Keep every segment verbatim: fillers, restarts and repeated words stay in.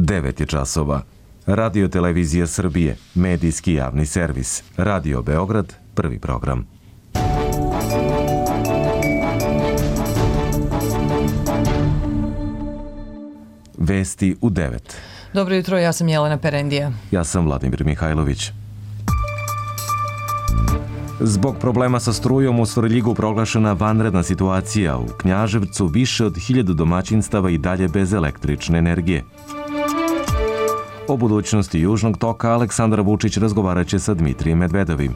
devet je časova. Radio Televizija Srbije, medijski javni servis. Radio Beograd, prvi program. Vesti u devet. Dobro jutro, ja sam Jelena Perendija. Ja sam Vladimir Mihajlović. Zbog problema sa strujom u Svrljigu proglašena vanredna situacija. U Knjaževcu više od hiljadu domaćinstava i dalje bez električne energije. O budućnosti Južnog toka Aleksandar Vučić razgovarat će sa Dmitrijem Medvedovim.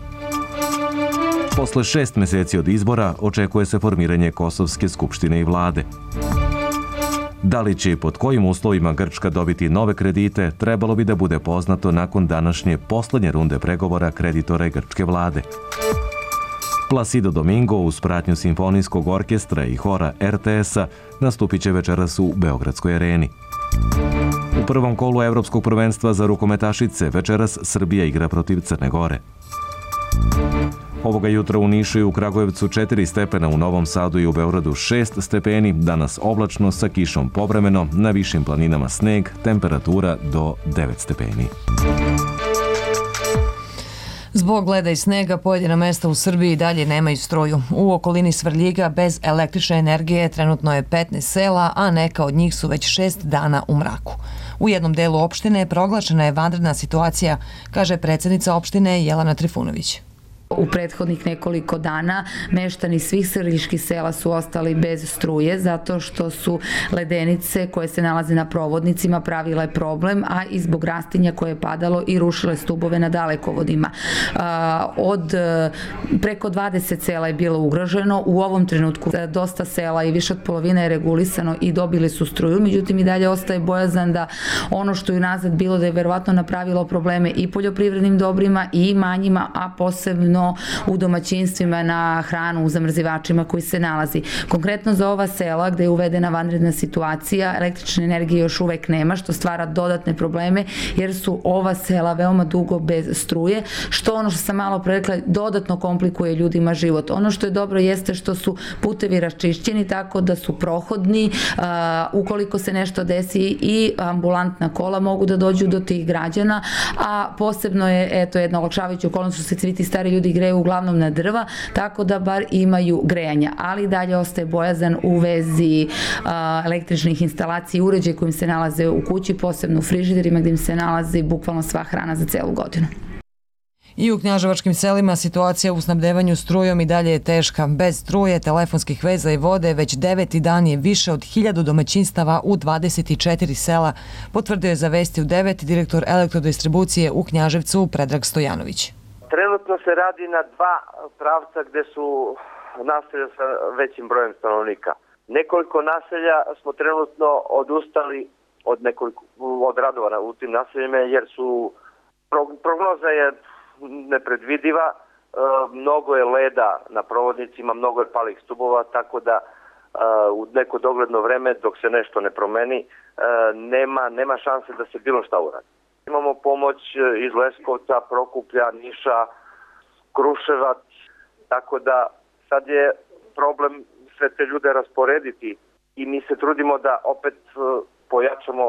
Posle šest meseci od izbora očekuje se formiranje Kosovske skupštine i vlade. Da li će i pod kojim uslovima Grčka dobiti nove kredite, trebalo bi da bude poznato nakon današnje poslednje runde pregovora kreditora i grčke vlade. Placido Domingo uz pratnju Simfonijskog orkestra i hora er te es-a nastupit će večeras u Beogradskoj areni. U prvom kolu Evropskog prvenstva za rukometašice večeras Srbija igra protiv Crne Gore. Ovoga jutra u Nišu i u Kragujevcu četiri stepena, u Novom Sadu i u Beogradu šest stepeni, danas oblačno sa kišom povremeno, na višim planinama sneg, temperatura do devet stepeni. Zbog leda i snega pojedina mesta u Srbiji dalje nemaju struju. U okolini Svrljiga bez električne energije trenutno je petnaest sela, a neka od njih su već šest dana u mraku. U jednom delu opštine proglašena je vanredna situacija, kaže predsjednica opštine Jelena Trifunović. U prethodnih nekoliko dana meštani svih svrljiških sela su ostali bez struje zato što su ledenice koje se nalaze na provodnicima pravile problem, a i zbog rastinja koje je padalo i rušile stubove na dalekovodima. Od preko dvadeset sela je bilo ugroženo, u ovom trenutku dosta sela i više od polovine je regulisano i dobili su struju, međutim i dalje ostaje bojazan da ono što je nazad bilo da je verovatno napravilo probleme i poljoprivrednim dobrima i imanjima, a posebno u domaćinstvima na hranu u zamrzivačima koji se nalazi. Konkretno za ova sela gde je uvedena vanredna situacija, električne energije još uvek nema, što stvara dodatne probleme jer su ova sela veoma dugo bez struje, što ono što sam malo pre rekla dodatno komplikuje ljudima život. Ono što je dobro jeste što su putevi raščišćeni tako da su prohodni, ukoliko se nešto desi i ambulantna kola mogu da dođu do tih građana, a posebno je eto jedna olakšavajuća okolnost što se svi ti stari ljudi greju uglavnom na drva, tako da bar imaju grejanja, ali dalje ostaje bojazan u vezi a, električnih instalacija i uređaja kojim se nalaze u kući, posebno u frižiderima gdje im se nalazi bukvalno sva hrana za celu godinu. I u knjaževačkim selima situacija u snabdevanju strujom i dalje je teška. Bez struje, telefonskih veza i vode već deveti dan je više od hiljadu domaćinstava u dvadeset četiri sela, potvrdio je za Vesti u devet direktor elektrodistribucije u Knjaževcu Predrag Stojanović. Trenutno se radi na dva pravca gde su naselja sa većim brojem stanovnika. Nekoliko naselja smo trenutno odustali od, nekoliko, od radova u tim naseljima jer su prognoza je nepredvidiva, e, mnogo je leda na provodnicima, mnogo je palih stubova, tako da e, u neko dogledno vreme dok se nešto ne promeni e, nema, nema šanse da se bilo šta uradi. Imamo pomoć iz Leskovca, Prokuplja, Niša, Kruševac, tako da sad je problem sve te ljude rasporediti i mi se trudimo da opet pojačamo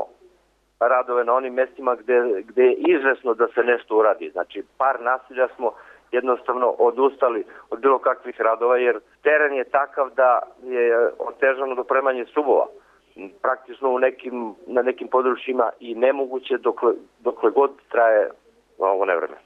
radove na onim mestima gde, gde je izvesno da se nešto uradi. Znači, par naselja smo jednostavno odustali od bilo kakvih radova jer teren je takav da je otežano dopremanje stubova. Praktično u nekim, na nekim područjima i nemoguće dokle, dokle god traje ovo nevreme.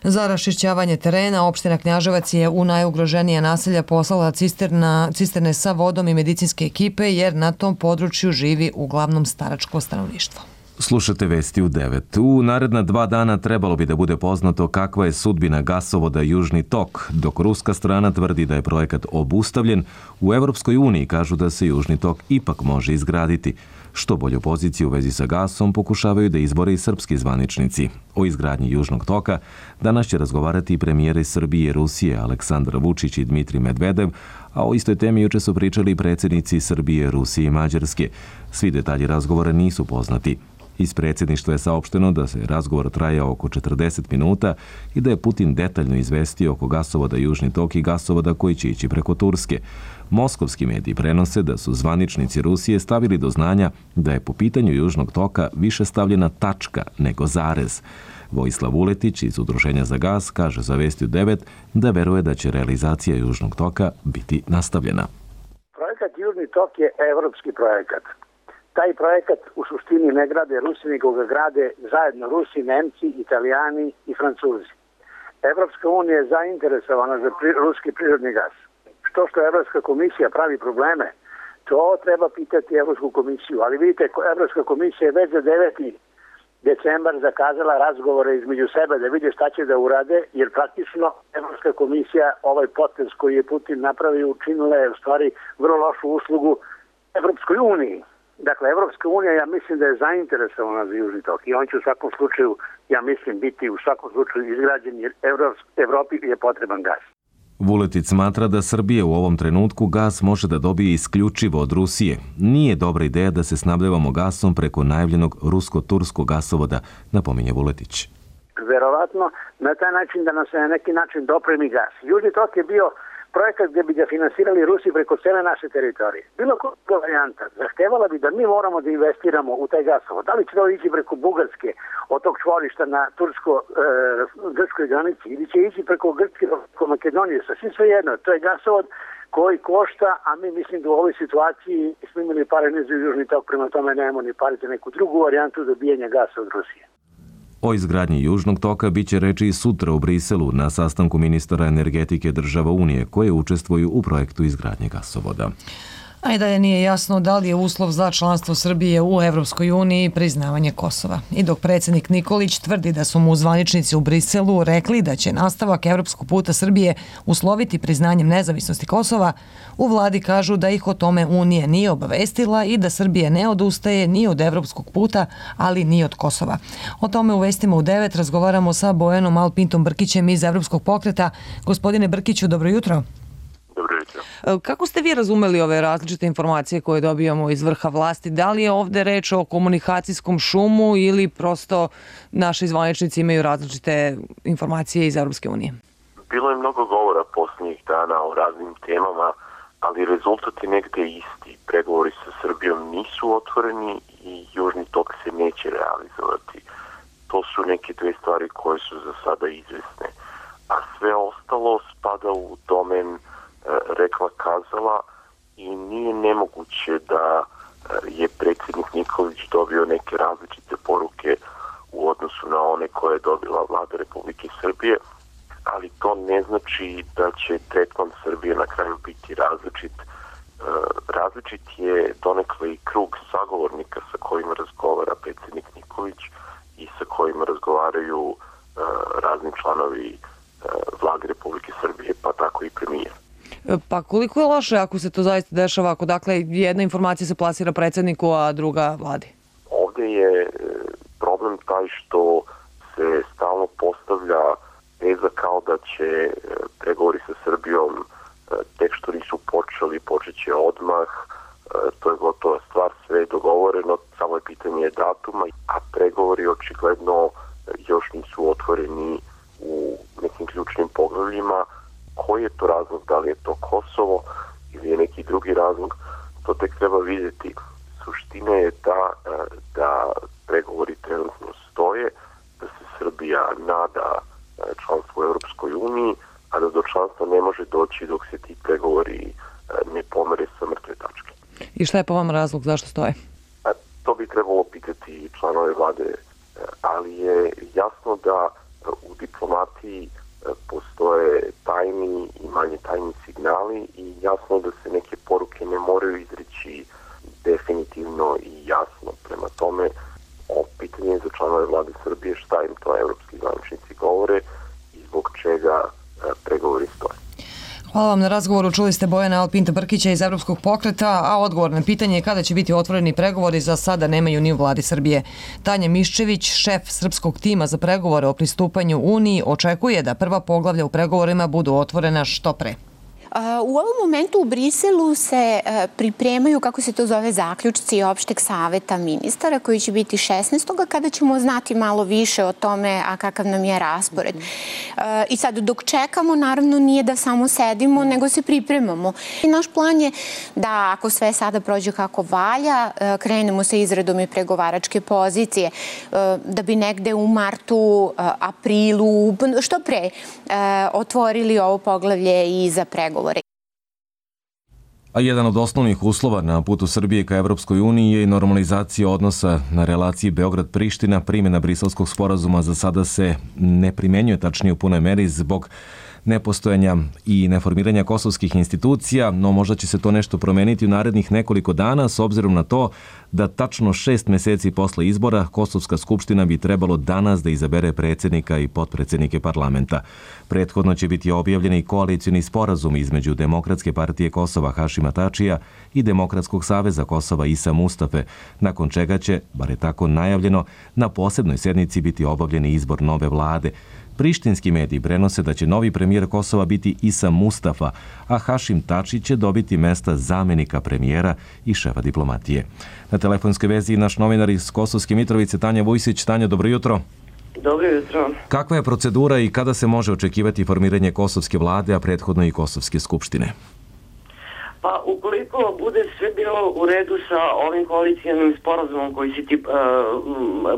Za raščišćavanje terena, opština Knjaževac je u najugroženije naselja poslala cisterna, cisterne sa vodom i medicinske ekipe jer na tom području živi uglavnom staračko stanovništvo. Slušate Vesti u devet. U naredna dva dana trebalo bi da bude poznato kakva je sudbina gasovoda Južni tok. Dok ruska strana tvrdi da je projekat obustavljen, u Evropskoj uniji kažu da se Južni tok ipak može izgraditi. Što bolju poziciju u vezi sa gasom pokušavaju da izbore i srpski zvaničnici. O izgradnji Južnog toka danas će razgovarati i premijeri Srbije i Rusije Aleksandar Vučić i Dmitrij Medvedev, a o istoj temi juče su pričali predsjednici Srbije, Rusije i Mađarske. Svi detalji razgovora nisu poznati. Iz predsjedništva je saopšteno da se razgovor trajao oko četrdeset minuta i da je Putin detaljno izvestio oko gasovoda Južni tok i gasovoda koji će ići preko Turske. Moskovski mediji prenose da su zvaničnici Rusije stavili do znanja da je po pitanju Južnog toka više stavljena tačka nego zarez. Vojislav Vuletić iz Udruženja za gas kaže za Vesti u devet da veruje da će realizacija Južnog toka biti nastavljena. Projekat Južni tok je evropski projekat. Taj projekat u suštini ne grade Rusi, nego ga grade zajedno Rusi, Nemci, Italijani i Francuzi. Evropska unija je zainteresovana za pri, ruski prirodni gas. Što što Evropska komisija pravi probleme, to treba pitati Evropsku komisiju. Ali vidite, Evropska komisija je već za deveti decembar zakazala razgovore između sebe da vide šta će da urade, jer praktično Evropska komisija ovaj potez koji je Putin napravio učinila je u stvari vrlo lošu uslugu Evropskoj uniji. Dakle, Evropska unija, ja mislim da je zainteresovana za Južni tok i on će u svakom slučaju, ja mislim, biti u svakom slučaju izgrađen jer Evropi je potreban gas. Vuletic smatra da Srbija u ovom trenutku gas može da dobije isključivo od Rusije. Nije dobra ideja da se snabdevamo gasom preko najavljenog rusko-turskog gasovoda, napominje Vuletić. Verovatno na taj način da nam se na neki način dopremi gas. Južni tok je bio projekat gdje bi ga finansirali Rusi preko cele naše teritorije. Bilo koja varijanta zahtevala bi da mi moramo da investiramo u taj gasovod. Da li će to ići preko Bugarske, od tog čvorišta na tursko-grčkoj granici, ili će ići preko Grčke, preko Makedonije, sasvim svejedno. To je gasovod koji košta, a mi mislim da u ovoj situaciji smo imali pare ne za Južni tok, prema tome nemamo ni parite neku drugu varijantu dobijanja gasa od Rusije. O izgradnji Južnog toka biće reči i sutra u Briselu na sastanku ministara energetike država Unije koje učestvuju u projektu izgradnje gasovoda. A i dalje nije jasno da li je uslov za članstvo Srbije u Evropskoj uniji priznavanje Kosova. I dok predsjednik Nikolić tvrdi da su mu zvaničnici u Briselu rekli da će nastavak evropskog puta Srbije usloviti priznanjem nezavisnosti Kosova, u vladi kažu da ih o tome Unija nije obavestila i da Srbije ne odustaje ni od evropskog puta, ali ni od Kosova. O tome u Vestima u devet razgovaramo sa Bojanom Alpintom Brkićem iz Evropskog pokreta. Gospodine Brkiću, dobro jutro. Kako ste vi razumeli ove različite informacije koje dobijamo iz vrha vlasti? Da li je ovde reč o komunikacijskom šumu ili prosto naši zvaničnici imaju različite informacije iz Evropske unije? Bilo je mnogo govora posljednjih dana o raznim temama, ali rezultat je negde isti. Pregovori sa Srbijom nisu otvoreni i Južni tok se neće realizovati. To su neke dve stvari koje su za sada izvesne. A sve ostalo spada u domen rekla kazala i nije nemoguće da je predsjednik Nikolić dobio neke različite poruke u odnosu na one koje je dobila vlada Republike Srbije, ali to ne znači da će tretman Srbije na kraju biti različit. Različit je donekle i krug sagovornika sa kojima razgovara predsjednik Nikolić i sa kojima razgovaraju razni članovi vlade Republike Srbije, pa tako i premijer. Pa koliko je loše ako se to zaista dešava, ako dakle jedna informacija se plasira predsjedniku, a druga vladi? Ovdje je problem taj što se stalno postavlja teza kao da će pregovori sa Srbijom tek što nisu počeli, počet će odmah, to je gotova stvar, sve je dogovoreno, samo je pitanje datuma, a pregovori očigledno još nisu otvoreni u nekim ključnim poglavljima. Koji je to razlog, da li je to Kosovo ili je neki drugi razlog, to tek treba vidjeti. Suština je ta da pregovori trenutno stoje, da se Srbija nada članstvu u Europskoj uniji, a da do članstva ne može doći dok se ti pregovori ne pomere sa mrtve tačke. I šta je po vam razlog, zašto stoje? To bi trebalo pitati članove vlade, ali je jasno da u diplomatiji postoje tajni i manje tajni signali i jasno da se neke poruke ne moraju izreći definitivno i jasno. Prema tome, ovo pitanje za članove vlade Srbije šta im to evropski zvaničnici govore i zbog čega pregovori stoje. Hvala vam na razgovoru. Čuli ste Bojana Alpinta Brkića iz Evropskog pokreta, a odgovor na pitanje je kada će biti otvoreni pregovori za sada nemaju ni u vladi Srbije. Tanja Miščević, šef srpskog tima za pregovore o pristupanju Uniji, očekuje da prva poglavlja u pregovorima budu otvorena što pre. U ovom momentu u Briselu se pripremaju, kako se to zove, zaključci opšteg saveta ministara koji će biti šesnaestog kada ćemo znati malo više o tome, a kakav nam je raspored. I sad, dok čekamo, naravno nije da samo sedimo, nego se pripremamo. I naš plan je da, ako sve sada prođe kako valja, krenemo sa izradom i pregovaračke pozicije, da bi negde u martu, aprilu, što pre, otvorili ovo poglavlje i za pregovore. A jedan od osnovnih uslova na putu Srbije ka Evropskoj uniji je i normalizacija odnosa na relaciji Beograd-Priština. Primjena Briselskog sporazuma za sada se ne primenjuje, tačnije u punoj meri, zbog nepostojanja i neformiranja kosovskih institucija, no možda će se to nešto promeniti u narednih nekoliko dana, s obzirom na to da tačno šest meseci posle izbora Kosovska skupština bi trebalo danas da izabere predsjednika i potpredsjednike parlamenta. Prethodno će biti objavljeni i koalicioni sporazum između Demokratske partije Kosova Hašima Tačija i Demokratskog saveza Kosova Isa Mustafe, nakon čega će, bar je tako najavljeno, na posebnoj sednici biti obavljeni izbor nove vlade. Prištinski mediji prenose da će novi premijer Kosova biti Isa Mustafa, a Hašim Tači će dobiti mesta zamenika premijera i šefa diplomatije. Na telefonskoj vezi naš novinar iz Kosovske Mitrovice, Tanja Vujsić. Tanja, dobro jutro. Dobro jutro. Kakva je procedura i kada se može očekivati formiranje kosovske vlade, a prethodno i Kosovske skupštine? Pa, ukoliko bude sve bilo u redu sa ovim koalicijalnim sporazumom koji si ti uh,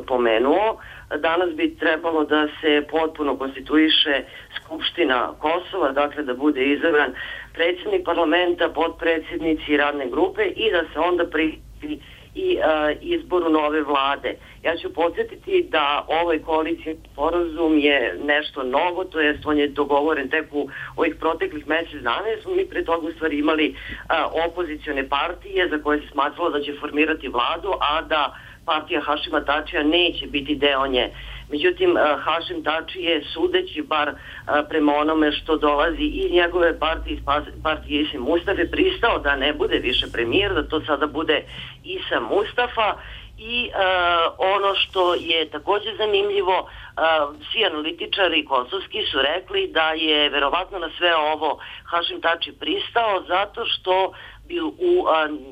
pomenuo, danas bi trebalo da se potpuno konstituiše Skupština Kosova, dakle da bude izabran predsjednik parlamenta, potpredsjednici radne grupe i da se onda pristupi i uh, izboru nove vlade. Ja ću podsjetiti da ovaj koalicijski sporazum je nešto novo, to jest on je dogovoren tek u ovih proteklih mjesec dana, jer smo mi pre toga u stvari imali uh, opozicione partije za koje se smatralo da će formirati vladu, a da partija Hašima Tačija neće biti deo nje. Međutim, Hašim Tači je, sudeći bar prema onome što dolazi iz njegove partije, iz partije Isa Mustafe, pristao da ne bude više premijer, da to sada bude Isa Mustafa. I uh, ono što je također zanimljivo, uh, svi analitičari kosovski su rekli da je verovatno na sve ovo Hašim Tači pristao zato što bi u uh,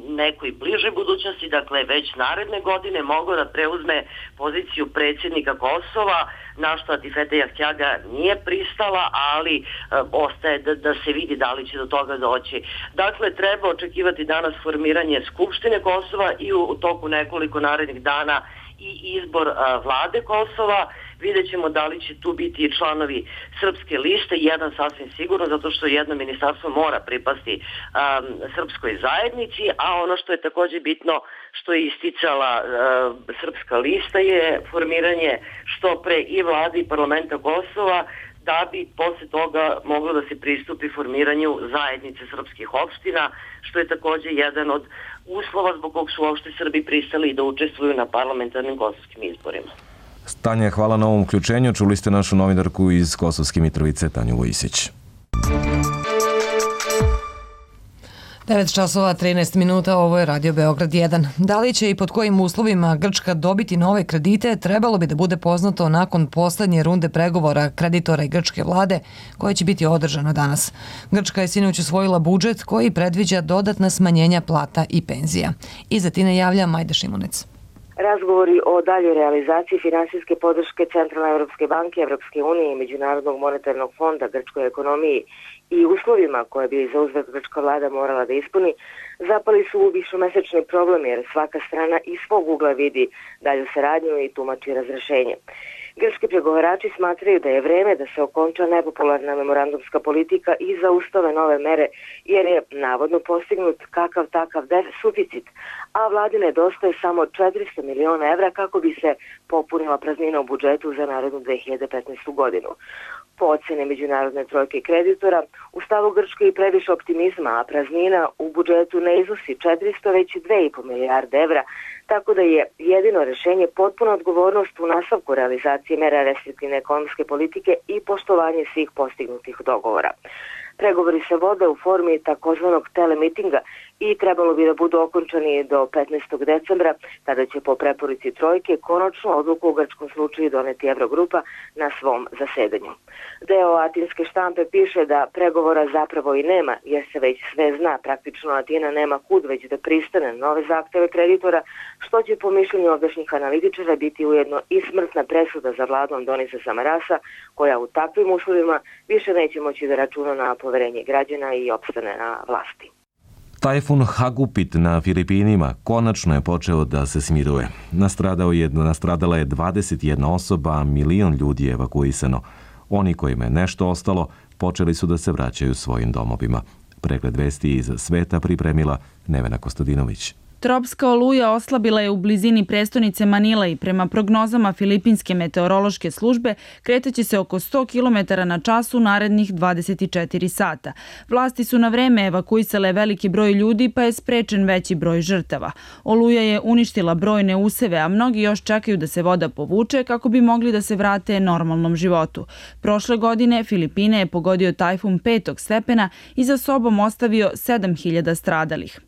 nekoj bližoj budućnosti, dakle već naredne godine, mogao da preuzme poziciju predsjednika Kosova, na što Atifete Jahćaga nije pristala, ali uh, ostaje da, da se vidi da li će do toga doći. Dakle, treba očekivati danas formiranje Skupštine Kosova i u, u toku nekoliko narednih dana i izbor uh, vlade Kosova. Vidjet ćemo da li će tu biti i članovi srpske liste, jedan sasvim sigurno, zato što jedno ministarstvo mora pripasti um, srpskoj zajednici, a ono što je također bitno, što je isticala uh, srpska lista, je formiranje što pre i vlade i parlamenta Kosova, da bi posle toga moglo da se pristupi formiranju zajednice srpskih opština, što je također jedan od uslova zbog kog su uopšte Srbi pristali da učestvuju na parlamentarnim kosovskim izborima. Tanja, hvala na ovom uključenju. Čuli ste našu novinarku iz Kosovske Mitrovice, Tanju Vujsić. devet časova trinaest minuta, ovo je Radio Beograd jedan. Da li će i pod kojim uslovima Grčka dobiti nove kredite, trebalo bi da bude poznato nakon poslednje runde pregovora kreditora i grčke vlade, koja će biti održana danas. Grčka je sinoć usvojila budžet koji predviđa dodatna smanjenja plata i penzija. Iza Tine javlja Majda Šimunec. Razgovori o daljoj realizaciji finansijske podrške Centralne Evropske banke, Evropske unije i Međunarodnog monetarnog fonda grčkoj ekonomiji i uslovima koje bi za uzvrat grčka vlada morala da ispuni, zapali su u višemesečni problem jer svaka strana iz svog ugla vidi dalju saradnju i tumači razrešenje. Grčki pregovarači smatraju da je vreme da se okonča nepopularna memorandumska politika i zaustave nove mere, jer je navodno postignut kakav takav suficit, a vladi nedostaje samo četiristo miliona evra kako bi se popunila praznina u budžetu za narednu dve hiljade petnaestu. godinu. Po ocene međunarodne trojke kreditora, u stavu Grčke i previše optimizma, a praznina u budžetu ne iznosi četiristo, već dve i po milijarde evra, tako da je jedino rešenje potpuna odgovornost u nastavku realizacije mera restriktivne ekonomske politike i poštovanje svih postignutih dogovora. Pregovori se vode u formi takozvanog telemitinga i trebalo bi da budu okončani do petnaestog decembra, tada će po preporuci trojke konačnu odluku u grčkom slučaju doneti Evrogrupa na svom zasedanju. Deo atinske štampe piše da pregovora zapravo i nema, jer se već sve zna. Praktično Atina nema kud već da pristane na nove zahteve kreditora, što će po mišljenju ovdašnjih analitičara biti ujedno i smrtna presuda za vladu Andonisa Samarasa, koja u takvim uslovima više neće moći da računa na poverenje građana i opstane na vlasti. Tajfun Hagupit na Filipinima konačno je počeo da se smiruje. Nastradao je, nastradala je dvadeset jedna osoba, a milion ljudi je evakuisano. Oni kojima je nešto ostalo počeli su da se vraćaju svojim domovima. Pregled vesti iz sveta pripremila Nevena Kostadinović. Tropska oluja oslabila je u blizini prestonice Manila i prema prognozama Filipinske meteorološke službe kretaće se oko sto kilometara na čas u narednih dvadeset četiri sata. Vlasti su na vreme evakuisale veliki broj ljudi, pa je sprečen veći broj žrtava. Oluja je uništila brojne useve, a mnogi još čekaju da se voda povuče kako bi mogli da se vrate normalnom životu. Prošle godine Filipine je pogodio tajfun petog stepena i za sobom ostavio sedam hiljada stradalih.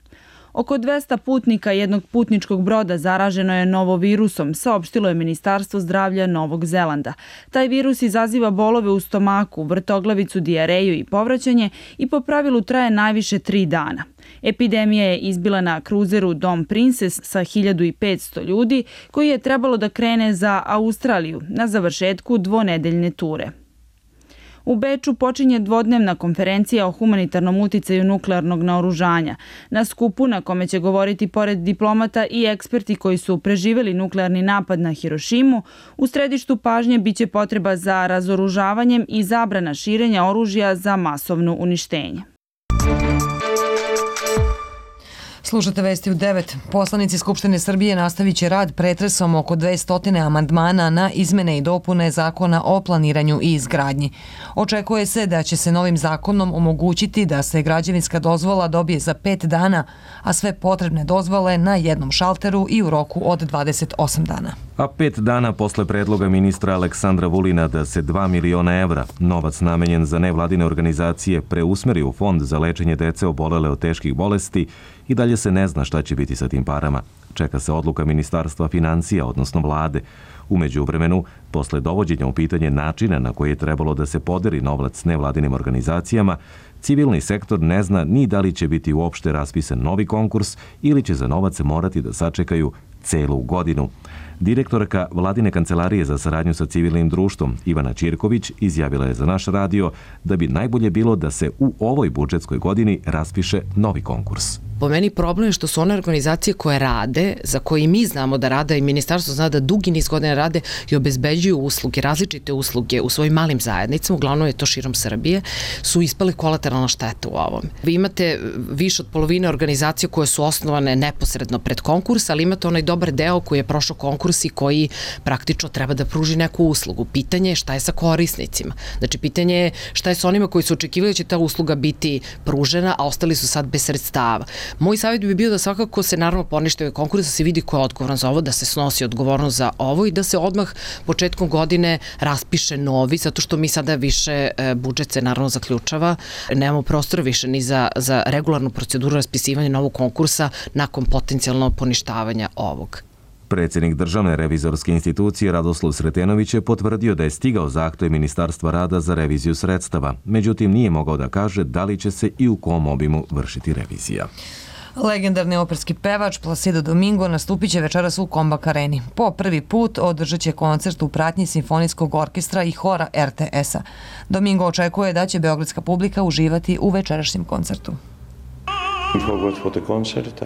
Oko dvesta putnika jednog putničkog broda zaraženo je novovirusom, saopštilo je Ministarstvo zdravlja Novog Zelanda. Taj virus izaziva bolove u stomaku, vrtoglavicu, dijareju i povraćanje i po pravilu traje najviše tri dana. Epidemija je izbila na kruzeru Dom Princess sa hiljadu petsto ljudi koji je trebalo da krene za Australiju na završetku dvonedeljne ture. U Beču počinje dvodnevna konferencija o humanitarnom uticaju nuklearnog naoružanja. Na skupu na kome će govoriti pored diplomata i eksperti koji su preživeli nuklearni napad na Hirošimu, u središtu pažnje biće potreba za razoružavanjem i zabrana širenja oružja za masovno uništenje. Slušate vesti u devet. Poslanici Skupštine Srbije nastavit će rad pretresom oko dvesta amandmana na izmene i dopune Zakona o planiranju i izgradnji. Očekuje se da će se novim zakonom omogućiti da se građevinska dozvola dobije za pet dana, a sve potrebne dozvole na jednom šalteru i u roku od dvadeset osam dana. A pet dana posle predloga ministra Aleksandra Vulina da se dva miliona evra, novac namenjen za nevladine organizacije, preusmeri u fond za lečenje dece obolele od teških bolesti, i dalje se ne zna šta će biti sa tim parama. Čeka se odluka Ministarstva financija, odnosno vlade. U međuvremenu, posle dovođenja u pitanje načina na koji je trebalo da se podeli novac nevladinim organizacijama, civilni sektor ne zna ni da li će biti uopšte raspisan novi konkurs ili će za novac morati da sačekaju celu godinu. Direktorka Vladine kancelarije za saradnju sa civilnim društvom Ivana Ćirković izjavila je za naš radio da bi najbolje bilo da se u ovoj budžetskoj godini raspiše novi konkurs. Po meni problem je što su one organizacije koje rade, za koje mi znamo da rade i ministarstvo zna da dugi niz godina rade i obezbeđuju usluge, različite usluge u svojim malim zajednicama, uglavnom je to širom Srbije, su ispali kolateralna šteta u ovom. Vi imate više od polovine organizacija koje su osnovane neposredno pred konkurs, ali imate onaj dobar deo koji je prošao konkurs i koji praktično treba da pruži neku uslugu. Pitanje je šta je sa korisnicima. Znači, pitanje je šta je sa onima koji su očekivali da će ta usluga biti pružena, a ostali su sad bez sredstava. Moj savjet bi bio da svakako se naravno ponište ovaj konkurs, da se vidi ko je odgovoran za ovo, da se snosi odgovornost za ovo i da se odmah početkom godine raspiše novi, zato što mi sada više budžet se naravno zaključava, nemamo prostora više ni za, za regularnu proceduru raspisivanja novog konkursa nakon potencijalno poništavanja ovog. Predsjednik Državne revizorske institucije Radoslav Sretenović je potvrdio da je stigao zahtev Ministarstva rada za reviziju sredstava, međutim nije mogao da kaže da li će se i u kom obimu vršiti revizija. Legendarni operski pevač Placido Domingo nastupit će večeras u Kombak areni. Po prvi put održat će koncert u pratnji Simfonijskog orkestra i hora er te es-a. Domingo očekuje da će beogradska publika uživati u večerašnjem koncertu.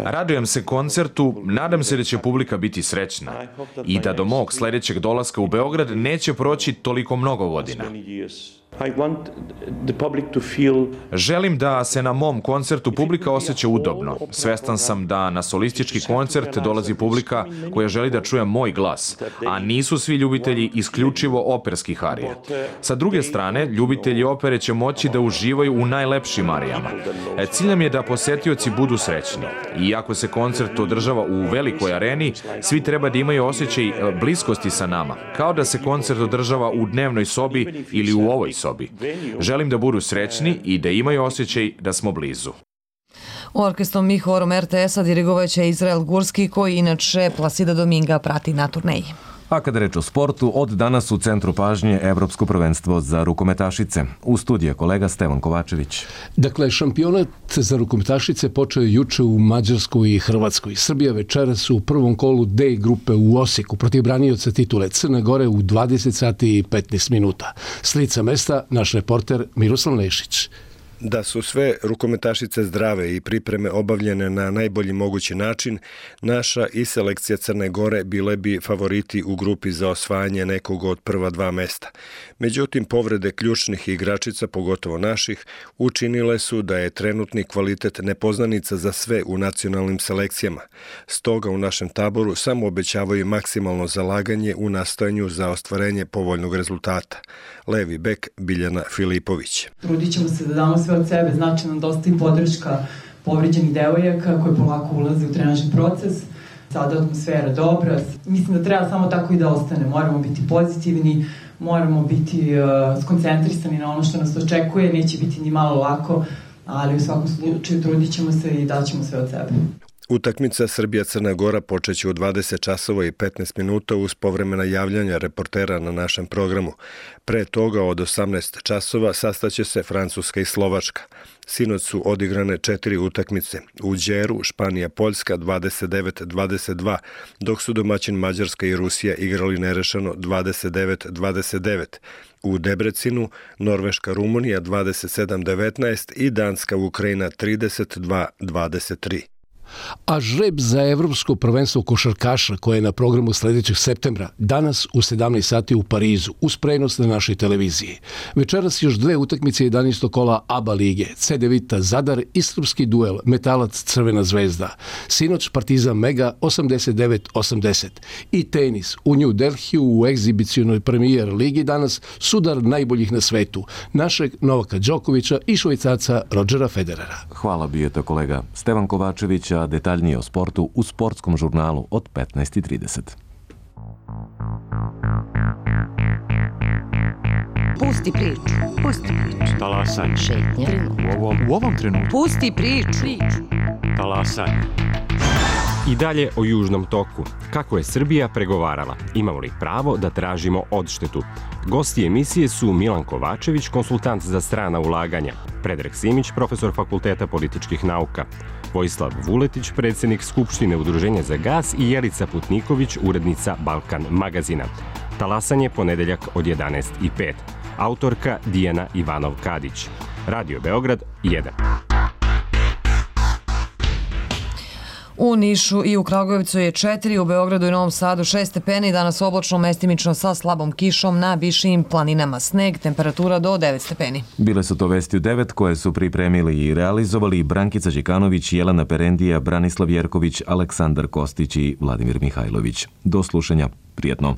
Radujem se koncertu, nadam se da će publika biti srećna i da do mog sledećeg dolaska u Beograd neće proći toliko mnogo godina. Želim da se na mom koncertu publika osjeća udobno. Svestan sam da na solistički koncert dolazi publika koja želi da čuje moj glas, a nisu svi ljubitelji isključivo operskih arija. Sa druge strane, ljubitelji opere će moći da uživaju u najlepšim arijama. Cilj nam je da posetioci budu srećni. Iako se koncert održava u velikoj areni, svi treba da imaju osjećaj bliskosti sa nama, kao da se koncert održava u dnevnoj sobi ili u ovoj sobi. sobi. Želim da budu srećni i da imaju osjećaj da smo blizu. Orkestrom i horom er te es-a dirigovaće Izrael Gurski, koji inače Plasida Dominga prati na turneji. A kada reč o sportu, od danas u centru pažnje Evropsko prvenstvo za rukometašice. U studiju je kolega Stevan Kovačević. Dakle, šampionat za rukometašice počeo je juče u Mađarskoj i Hrvatskoj. Srbija večeras u prvom kolu D grupe u Osijeku protiv branioca titule Crne Gore u dvadeset sati i petnaest minuta. S lica mesta naš reporter Miroslav Nešić. Da su sve rukometašice zdrave i pripreme obavljene na najbolji mogući način, naša i selekcija Crne Gore bile bi favoriti u grupi za osvajanje nekog od prva dva mesta. Međutim, povrede ključnih igračica, pogotovo naših, učinile su da je trenutni kvalitet nepoznanica za sve u nacionalnim selekcijama. Stoga u našem taboru samo obećavaju maksimalno zalaganje u nastojanju za ostvarenje povoljnog rezultata. Levi bek Biljana Filipović. Trudit ćemo se da damo sve od sebe, znači nam dosta i podrška povređenih devojaka koji polako ulaze u trenažni proces. Sada atmosfera dobra. Mislim da treba samo tako i da ostane. Moramo biti pozitivni, moramo biti uh, skoncentrisani na ono što nas očekuje. Neće biti ni malo lako, ali u svakom slučaju trudit ćemo se i daćemo sve od sebe. Utakmica Srbija-Crna Gora počeće u dvadeset časova i petnaest minuta uz povremena javljanja reportera na našem programu. Pre toga od osamnaest časova sastaće se Francuska i Slovačka. Sinoć su odigrane četiri utakmice. U Đeru Španija-Poljska dvadeset devet dvadeset dva, dok su domaćin Mađarska i Rusija igrali nerešeno dvadeset devet dvadeset devet. U Debrecinu Norveška-Rumunija dvadeset sedam devetnaest i Danska-Ukrajina trideset dva dvadeset tri. A žreb za Evropsko prvenstvo košarkaša koje je na programu sledećeg septembra danas u sedamnaest sati u Parizu uz prenos na našoj televiziji. Večeras još dve utakmice jedanaestog kola A B A lige, C D Vita Zadar i srpski duel Metalac Crvena zvezda. Sinoć Partizan Mega osamdeset devet osamdeset. I tenis u New Delhiju u egzibicionoj premijer ligi danas sudar najboljih na svetu, našeg Novaka Đokovića i Švajcarca Rodgera Federera. Hvala, bio je to kolega Stevan Kovačević, a detaljnije o sportu u sportskom žurnalu od petnaest i trideset. Pusti priču. Pusti priču. Talasanje. Šetnja. U ovom, u ovom trenutku. Pusti priču. Talasanje. I dalje o Južnom toku. Kako je Srbija pregovarala? Imamo li pravo da tražimo odštetu? Gosti emisije su Milan Kovačević, konsultant za strana ulaganja, Predrag Simić, profesor Fakulteta političkih nauka, Vojislav Vuletić, predsjednik Skupštine Udruženja za gas i Jelica Putniković, urednica Balkan magazina. Talasanje ponedeljak od jedanaest i pet. Autorka Dijana Ivanov-Kadić. Radio Beograd jedan. U Nišu i u Kragujevcu je četiri, u Beogradu i Novom Sadu šest stepeni, danas oblačno, mestimično sa slabom kišom, na višim planinama sneg, temperatura do devet stepeni. Bile su to vesti u devet koje su pripremili i realizovali Brankica Đikanović, Jelena Perendija, Branislav Jerković, Aleksandar Kostić i Vladimir Mihajlović. Do slušanja, prijetno.